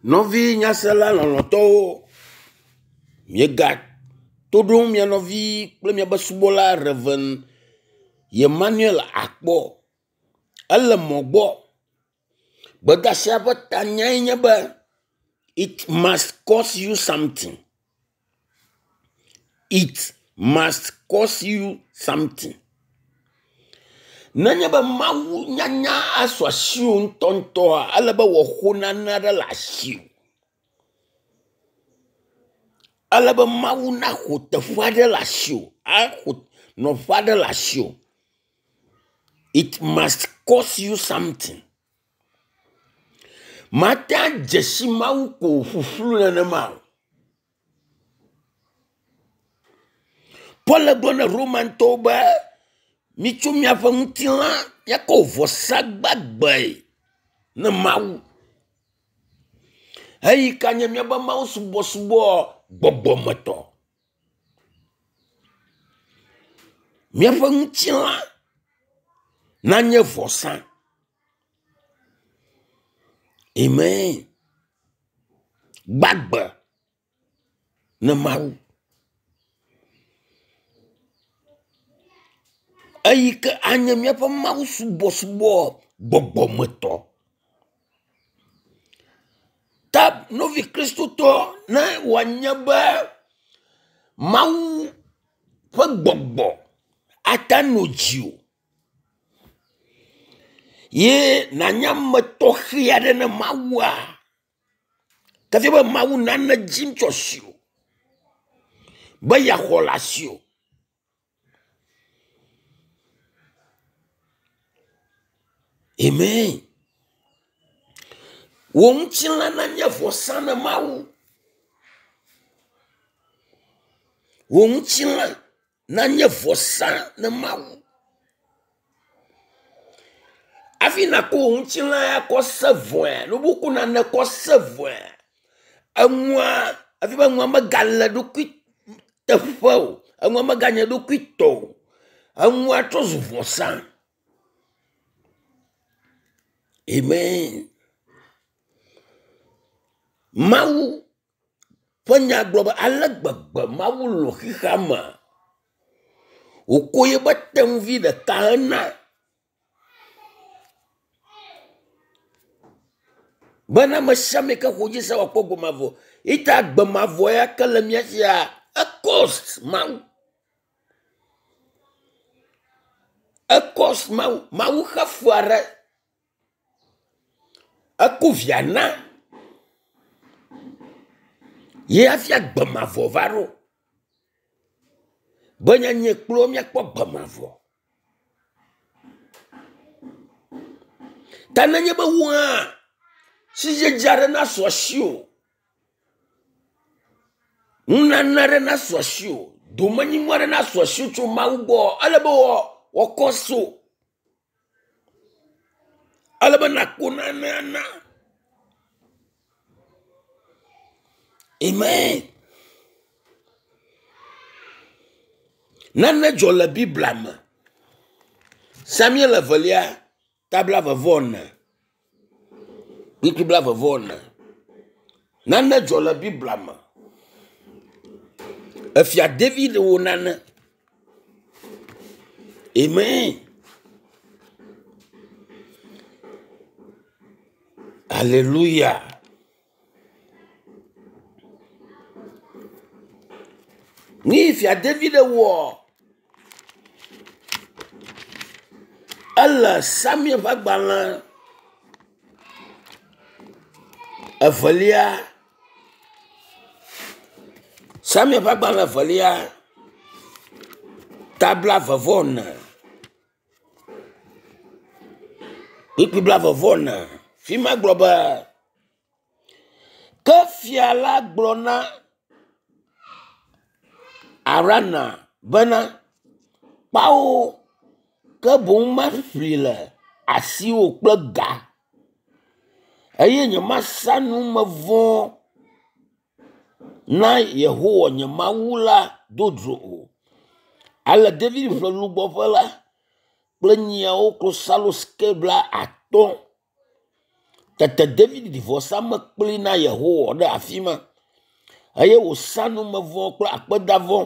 Nɔvi nyasela lɔlɔ̃tɔwo, miega to ɖom mia nɔvi kple miaƒe subɔla Rev. Emmanuel Akpɔ. Ele mɔ gbɔ. Gbedeasia ƒe tanyae nye be it must cost you something. It must cost you something. Nenye be Mawu nyanya asu asiwò ŋutɔŋutɔa, ele be wòaxo nane aɖe le asiwò. Ele be Mawu naxɔ teƒe aɖe le asiwò, axɔ nɔƒe aɖe le asiwò. It must cost you something. Mate adze si Mawu ko ƒuƒlu nenema o. Paul gblɔ na Romantɔwo be mitso miaƒe ŋutilã miakɔ vɔsa gbagbe ne Mawu. Eyi ka nye míaƒe Mawu subɔsubɔ gbɔgbɔmetɔ. Míaƒe ŋutilã nanye vɔsa. Amen. Gbagbe ne Mawu. Eyi ke anye míaƒe Mawu subɔsubɔ gbɔgbɔmetɔ. Ta nɔvi kristotɔ ne wòanye be Mawu ƒe gbɔgbɔ ate anɔ dziwò ye nànye ame tɔxɛ aɖe ne Mawua, ke fia be Mawu nane dim tso asiwò be yeaxɔ le asiwò. Amen. Wò ŋutilã nanye vɔsa na Mawu. Wò ŋutilã nanye vɔsa na Mawu. Hafi nàkɔ wò ŋutilã ya kɔ se vɔe, ne wokɔ nane kɔ se vɔe, enua hafi be enua megale eɖokui teƒe o, enua meganye eɖokui tɔ o, enua trɔ zu vɔsa. Amen. Mawu ƒe nya gblɔ be ale gbegbe Mawu lɔ̃ xexea me wòko yeƒe tenuvi ɖeka hena bena ame sia ame yi ke xɔ edzi se wòakpɔ agbe mavɔ. Eyi ta agbe mavɔ ya ke le mía sia ecost Mawu. Ecost Mawu. Mawu xe fe aɖe. Eko via na ye hafi agbe mavɔ va ɖo. Be nye nye kple wò míakpɔ agbe mavɔ. Ta nenye be wò hã sidzedze aɖe nasu asiwò, nunana aɖe nasu asiwò, domenyinu aɖe nasu asiwò tso Mawu gbɔ, ele be wòakɔ so. Ele be nàkpɔ nane ana. Amen. Nane dzɔ le Biblia me. Samuel evelia ta blaeve-vɔ-ene. Kpukpui blaeve-vɔ-ene. Nane dzɔ le Biblia me. Efia David wɔ nane. Amen. Alléluia. Nu yi fia David wɔ ele Samuel ƒe agbalẽ evelia Samuel ƒe agbalẽ evelia ta blaeve-vɔ-ene. Kpukpui blaeve-vɔ-ene. Fi ma gblɔ be, Ke fia la gblɔ na Arauna bena, Kpao, ke boŋ maƒlee le asiwò kple ga eye nyemasa numevɔ na Yehowa nye Mawu la dzodzro o. Ale David ƒle lugbɔƒe la kple nyiawo klosalo sike blaatɔ̃. Tete David ɖi vɔsamlekpui na Yehowa ɖe afi ma eye wòsa numevɔ kple akpedavɔ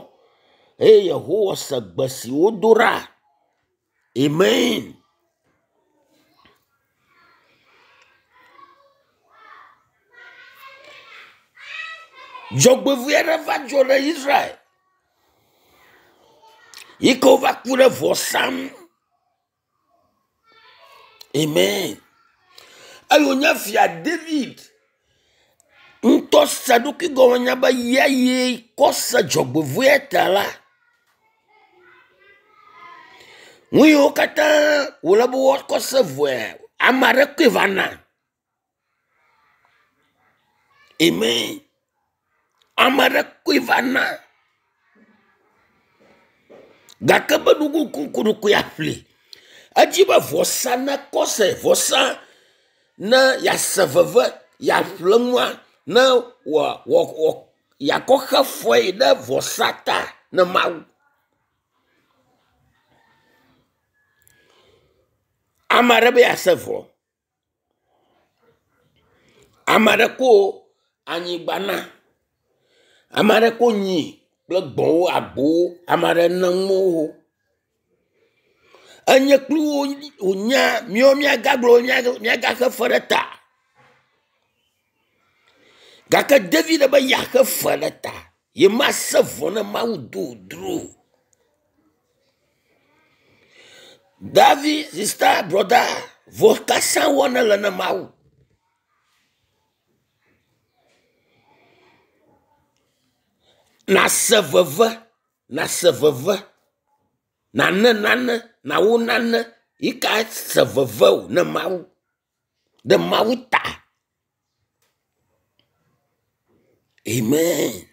eye Yehowa se gbe si wodo ɖa. Amen. Dzɔgbevɔ̃e aɖe va dzɔ ɖe Israel yi ke wova ku ɖe vɔsa ŋu. Amen. Eye wònye fia David ŋutɔ se eɖokui gɔme nya be ya ye kɔ se dzɔgbevɔ̃ea ta la, nu yiwo katã wòle be woakɔ se vɔe, ame aɖe koe va na. Amen. Ame aɖe koe va na. Gake be nukunuku yeaƒli. Edzi be vɔsa nekɔ se vɔsa ne yease veve yeaƒle nua ne wɔ wɔ yeakɔ xe fɔe ɖe vɔsa ta ne Mawu. Ame aɖe be yease vɔ. Ame aɖe ko anyigba na. Ame aɖe ko nyi kple gbɔ̃wo agbowo. Ame aɖe ne nuwo. Enye kpli wo wonya míawo míagagblɔ míagaxe fe ɖe ta. Gake David be yeaxe fe ɖe ta. Yemase vɔ ne Mawu do dro o. Davi, sista, brɔda, vɔ kasa wɔ nele ne Mawu. Nase veve, nase veve, nane nane, nawo nane yi ka se veve o ne Mawu, ɖe Mawu ta. Amen.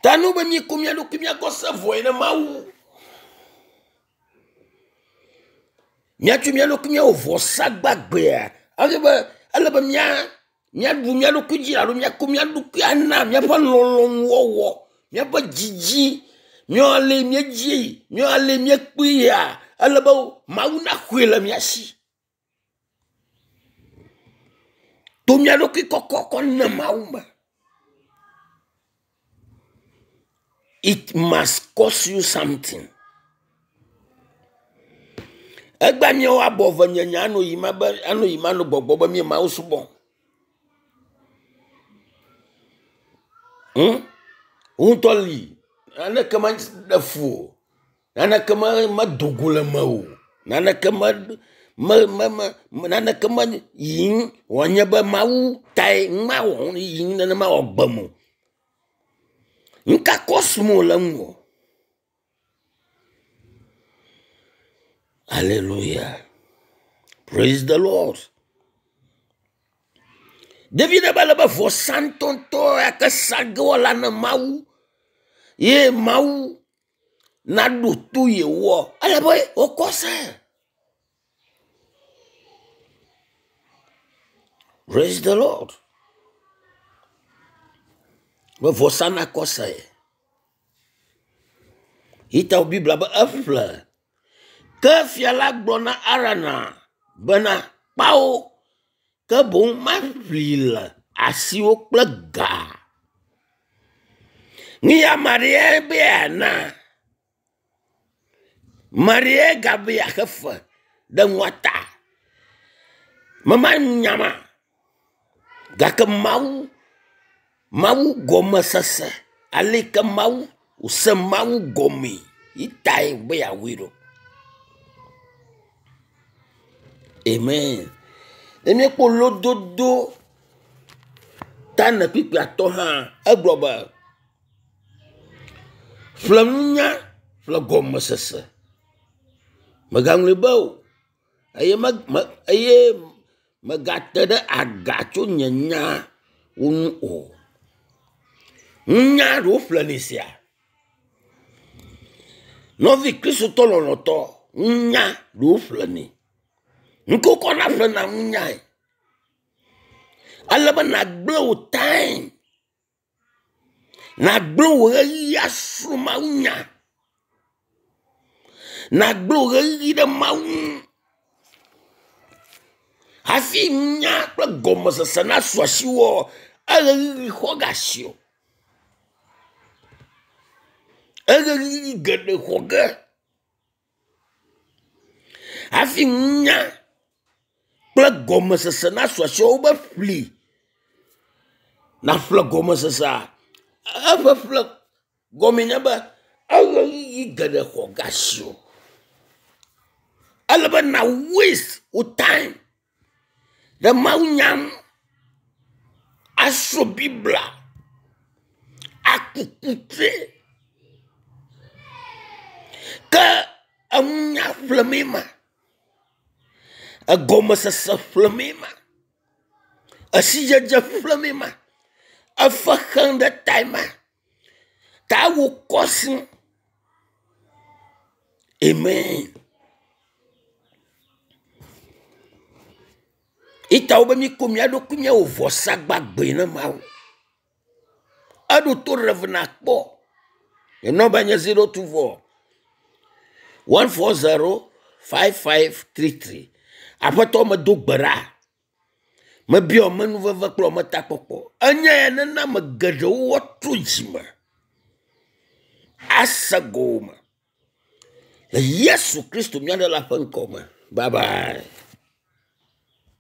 Ta nu be míekɔ mía ɖokui míakɔ se vɔe ne Mawu. Míatsɔ mía ɖokui míawɔ vɔsa gbagbea. Ele be ele be mía míaɖu mía ɖokui dzi alo míakɔ mía ɖokui ana míaƒe lɔlɔ̃nuwɔwɔ, míaƒe dzidzi, míawo ale míedzi, míawo ale míekpɔe ya ele be Mawu naxɔe le mía si. To mía ɖokui kɔkɔ kɔ ne Mawu me. It must cost you something. Egbea míawo abɔ ve nye nya anɔ yim abe anɔ yim anɔ gbɔgbɔ be mí Mawu subɔm. Hm? Wò ŋutɔ li naneke meɖe fu o. Naneke me medo go le eme o. Naneke me me me me naneke me yim wòanye be Mawu tae nu ma wɔm yim nenema wòagbem o. Nu ka kɔsum wòle ŋuwò? Aleluya. Praise the Lord. Ɖevi ɖe be le be vɔsa ŋutɔŋutɔ ya ke sa ge woala ne Mawu ye Mawu naɖo to yewoa, ele be wokɔ se. Praise the Lord. Be vɔsa nakɔ se. Yi ta Biblia be eƒle. Ke fia la gblɔ na Arana bena, Kpao, ke boŋ maƒlee le asiwò kple ga. Nu ya ame aɖe be yeana. Ame aɖe gabe yeaxe fe ɖe nua ta. Mema nya ma gake Mawu, Mawu gɔmesese ale yi ke Mawu wòse Mawu gɔmee ye tae wòbe yeawɔe ɖo. Amen. Ne míekpɔ lododo ta ne kpukpuia tɔ hã egblɔ be ƒle nunya ƒle gɔmesese. Mègaŋlɔe be o eye me me eye mègate ɖe aga tso nye nyawo ŋu o. Nunya ɖe woƒlenɛ sia. Nɔvi kristotɔ lɔlɔ̃tɔ, nunya ɖe woƒlenɛ. Nu ke wokɔna ƒlena nunyae. Ale be nàgblẽ wò time, nàgblẽ wò ɣeyiɣi asrɔ̃ mawunya, nàgblẽ wò ɣeyiɣi ɖe Mawu ŋu. Hafi nya kple gɔmesese nasu asiwò, eɣeyiɣi xɔ ge asiwò. Eɣeyiɣi geɖe xɔ ge. Hafi nunya kple gɔmesese nasu asiwò wobe ƒli naƒle gɔmesesea, eƒeƒle gɔmee nye be eɣeyiɣi geɖe xɔ ge asiwò. Ele be na waste wò time ɖe mawunya ŋu, asrɔ̃ biblia, aku kutri. Ke enunya ƒlemee ma, egɔmesese ƒlemee ma, esidzedze ƒlemee ma, efe xem ɖe tae ma, ta wokɔ si. Amen. Ita wobe míko mía ɖokui míawɔ vɔsa gbagbe na Mawu. Eɖo to Rev nakpɔ. Nye nɔmba nye 024 140 5533. Aƒetɔ medo gbe ɖa. Mebiɔ menuveve kple metakpɔkpɔ. Enye ya nena ame geɖewo woatrɔ dzime ase gɔme le Yesu Kristo mía Ɖela ƒe ŋkɔ me. Bye bye.